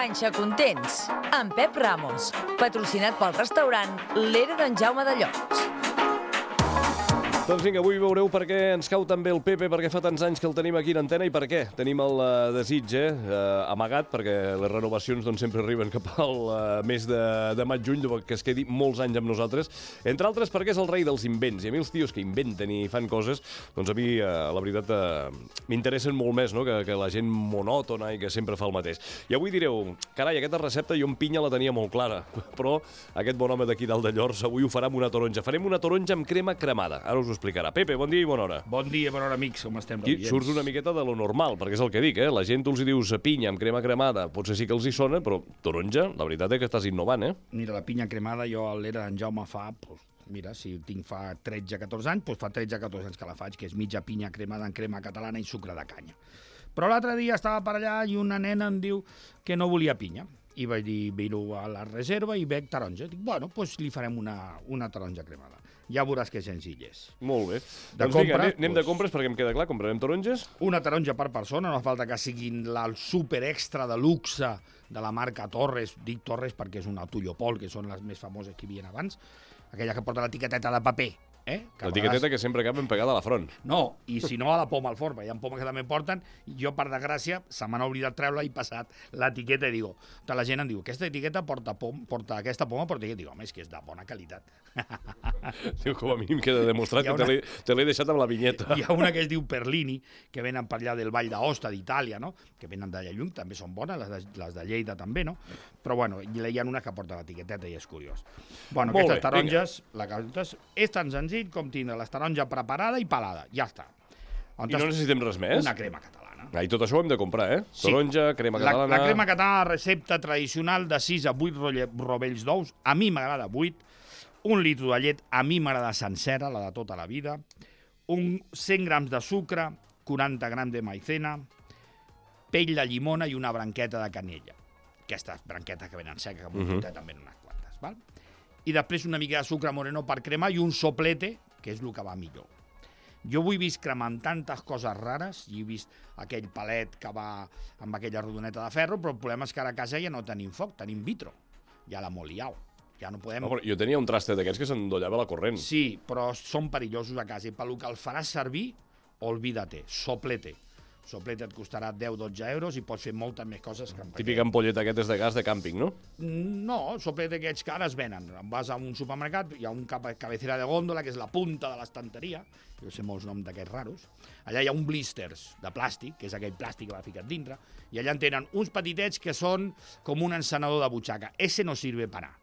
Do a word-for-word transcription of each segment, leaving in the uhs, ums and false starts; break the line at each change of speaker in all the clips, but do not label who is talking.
Panxa Contents, amb Pep Ramos, patrocinat pel restaurant l'Era d'en Jaume de Llocs.
Doncs vinga, avui veureu per què ens cau també el Pepe, perquè fa tants anys que el tenim aquí en antena i per què. Tenim el uh, desig, eh, uh, amagat, perquè les renovacions doncs, sempre arriben cap al uh, mes de, de maig-juny, que es quedi molts anys amb nosaltres. Entre altres perquè és el rei dels invents, i a mi els tios que inventen i fan coses, doncs a mi, uh, la veritat, uh, m'interessen molt més, no?, que, que la gent monòtona i que sempre fa el mateix. I avui direu, carai, aquesta recepta jo en pinya la tenia molt clara, però aquest bon home d'aquí dalt de Llors avui ho farà amb una taronja. Farem una taronja amb crema cremada. Ara us ho explicarà. Pepe, bon dia i bona hora.
Bon dia, bona hora, amics. Com estem?
Aquí surts una miqueta de lo normal, perquè és el que dic, eh? La gent tu els hi dius pinya amb crema cremada, potser sí que els hi sona, però taronja, la veritat és que estàs innovant, eh?
Mira, la pinya cremada jo a l'Era d'en Jaume fa, pues, mira, si tinc fa tretze catorze anys, doncs fa tretze catorze anys que la faig, que és mitja pinya cremada en crema catalana i sucre de canya. Però l'altre dia estava per allà i una nena em diu que no volia pinya. I vaig dir, miro a la reserva i veig taronja. Dic, bueno, doncs li farem una, una taronja cremada. Ja veuràs que senzill és.
Molt bé.
De
doncs
compra,
vinga, anem
doncs,
de compres perquè em queda clar, comprarem taronges.
Una taronja per persona, no fa falta que siguin la, el super extra de luxe de la marca Torres. Dic Torres perquè és una Tullopol, que són les més famoses que hi havia abans. Aquella que porta l'etiqueteta de paper. Eh?
L'etiqueteta vegades... que sempre acaba ben pegada a la front.
No, i si no a la poma al forn, hi ha pomes que també porten, i jo, per desgràcia, se m'ha oblidat treure-la i passat l'etiqueta i digo, tota la gent em diu, aquesta etiqueta porta, pom, porta aquesta poma, porta etiqueta. Digo, home, és que és de bona qualitat.
Diu, com a mínim queda demostrat una... que te l'he deixat amb la vinyeta.
Hi ha una que es diu Perlini, que venen per allà del Vall d'Aosta, d'Itàlia, no? Que venen d'allà lluny, també són bones, les de, les de Lleida també, no? Però bueno, hi ha una que porta l'etiqueteta i és curiós. Bueno,
Molt
aquestes
bé,
taronges, la que és tan senzill com tindre la taronja preparada i pelada, ja està.
On I no necessitem res més?
Una crema catalana.
Ah, I tot això ho hem de comprar, eh?
Sí.
Taronja, crema catalana...
La, la crema catalana, la recepta tradicional de sis a vuit rovells d'ous, a mi m'agrada vuit, un litre de llet, a mi m'agrada sencera, la de tota la vida, un cent grams de sucre, quaranta grams de maicena, pell de llimona i una branqueta de canella. Aquestes branquetes que venen seques, que m'ho uh -huh. també en unes quantes, val? I després una mica de sucre moreno per cremar i un soplete, que és el que va millor. Jo ho he vist cremant tantes coses rares, i he vist aquell palet que va amb aquella rodoneta de ferro, però el problema és que ara a casa ja no tenim foc, tenim vitro. Ja l'ha molt liau. Ja no podem...
No, però jo tenia un traste d'aquests que s'endollava la corrent.
Sí, però són perillosos a casa, i pel que el faràs servir, olvídate, soplete. Soplete et costarà deu dotze euros i pots fer moltes més coses que...
Típica ampolleta aquestes de gas de càmping, no?
No, soplete aquests que ara es venen. Vas a un supermercat, hi ha un cabecera de gòndola, que és la punta de l'estanteria, jo sé molts noms d'aquests raros. Allà hi ha un blisters de plàstic, que és aquell plàstic que va ficat dintre, i allà en tenen uns petitets que són com un encenedor de butxaca. Ese no sirve para.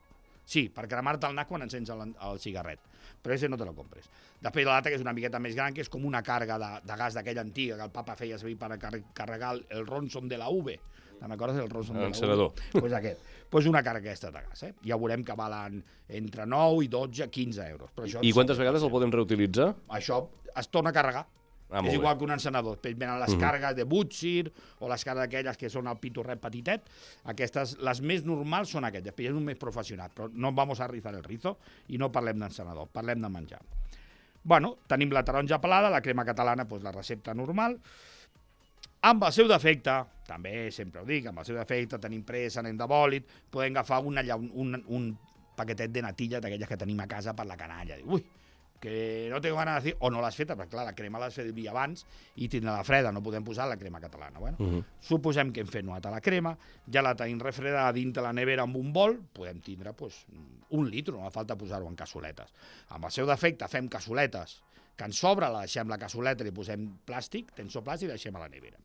Sí, per cremar-te el nas quan encens el, el cigarret, però ese no te lo compres. Després l'altre, que és una miqueta més gran, que és com una càrrega de, de gas d'aquella antiga que el papa feia servir per carregar el Ronson de la U V. Te'n recordes del Ronson de la U V?
Encenedor.
Doncs pues aquest. Pues una càrrega aquesta de gas, eh? Ja veurem que valen entre nou i dotze, quinze euros. Però això
I quantes vegades el podem reutilitzar?
Això es torna a carregar.
Ah,
és igual que un encenedor. Després venen les uh -huh. càrregues de Butchir o les càrregues aquelles que són el pitorret petitet. Aquestes, les més normals són aquestes. Després hi ha un més professional, però no vamos a rizar el rizo i no parlem d'encenedor, parlem de menjar. Bueno, tenim la taronja pelada, la crema catalana, doncs la recepta normal. Amb el seu defecte, també sempre ho dic, amb el seu defecte, tenim pressa, anem de bòlit, podem agafar una, un, un paquetet de natilles d'aquelles que tenim a casa per la canalla. Ui, que no tengo ganas de decir, o no l'has feta, perquè clar, la crema l'has fet el dia abans i tindrà la freda, no podem posar la crema catalana. Bueno, uh -huh. Suposem que hem fet nota la crema, ja la tenim refredada dins de la nevera amb un bol, podem tindre pues, un litre, no fa falta posar-ho en cassoletes. Amb el seu defecte fem cassoletes, que en sobre la deixem la cassoleta, li posem plàstic, tensor plàstic i la deixem a la nevera.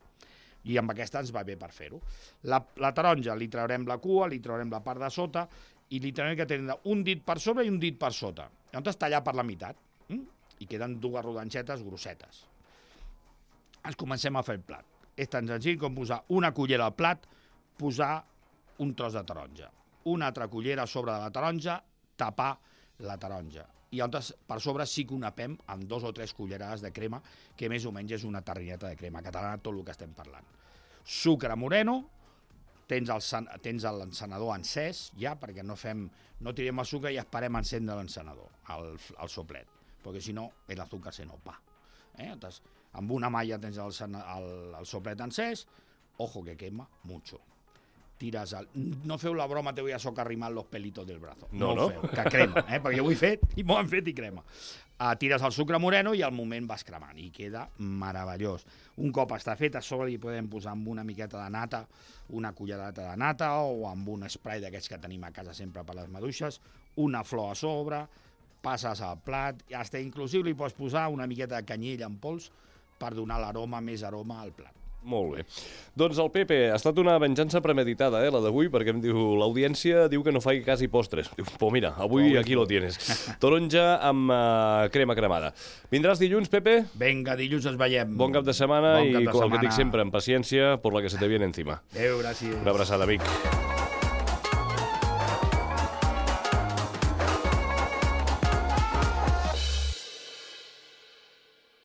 I amb aquesta ens va bé per fer-ho. La, la taronja li traurem la cua, li traurem la part de sota i li traurem que tenen un dit per sobre i un dit per sota. Llavors tallar per la meitat. Mm? I queden dues rodanxetes grossetes. Ens comencem a fer el plat. És tan senzill com posar una cullera al plat, posar un tros de taronja. Una altra cullera a sobre de la taronja, tapar la taronja. I llavors per sobre sí que ho napem amb dos o tres cullerades de crema, que més o menys és una tarrineta de crema catalana, tot el que estem parlant. Sucre moreno, tens el, tens l'encenedor encès, ja, perquè no fem, no tirem el sucre i esperem encendre l'encenedor, el, el soplet. Perquè si no, l'azúcar se nos va. Eh? Entonces, amb una malla tens el, el, el soplet encès, ojo que quema mucho. tires el... No feu la broma, te voy a socarrimar los pelitos del brazo.
No,
no,
no.
ho feu, que crema, eh? Perquè ho he fet i m'ho han fet i crema. Uh, tires el sucre moreno i al moment vas cremant i queda meravellós. Un cop està fet, a sobre li podem posar amb una miqueta de nata, una cullerada de nata o amb un spray d'aquests que tenim a casa sempre per les maduixes, una flor a sobre, passes al plat, i hasta inclusiu li pots posar una miqueta de canyella en pols per donar l'aroma, més aroma al plat.
Molt bé. Doncs el Pepe, ha estat una venjança premeditada, eh, la d'avui, perquè em diu, l'audiència diu que no faci quasi postres. Diu, pues mira, avui oh, aquí lo tienes. Taronja amb uh, crema cremada. Vindràs dilluns, Pepe?
Vinga, dilluns ens veiem.
Bon cap de setmana
bon
i,
cap de
com
setmana.
el que dic sempre, amb paciència, por la que se te viene encima.
Adéu, gràcies.
Una abraçada, amic.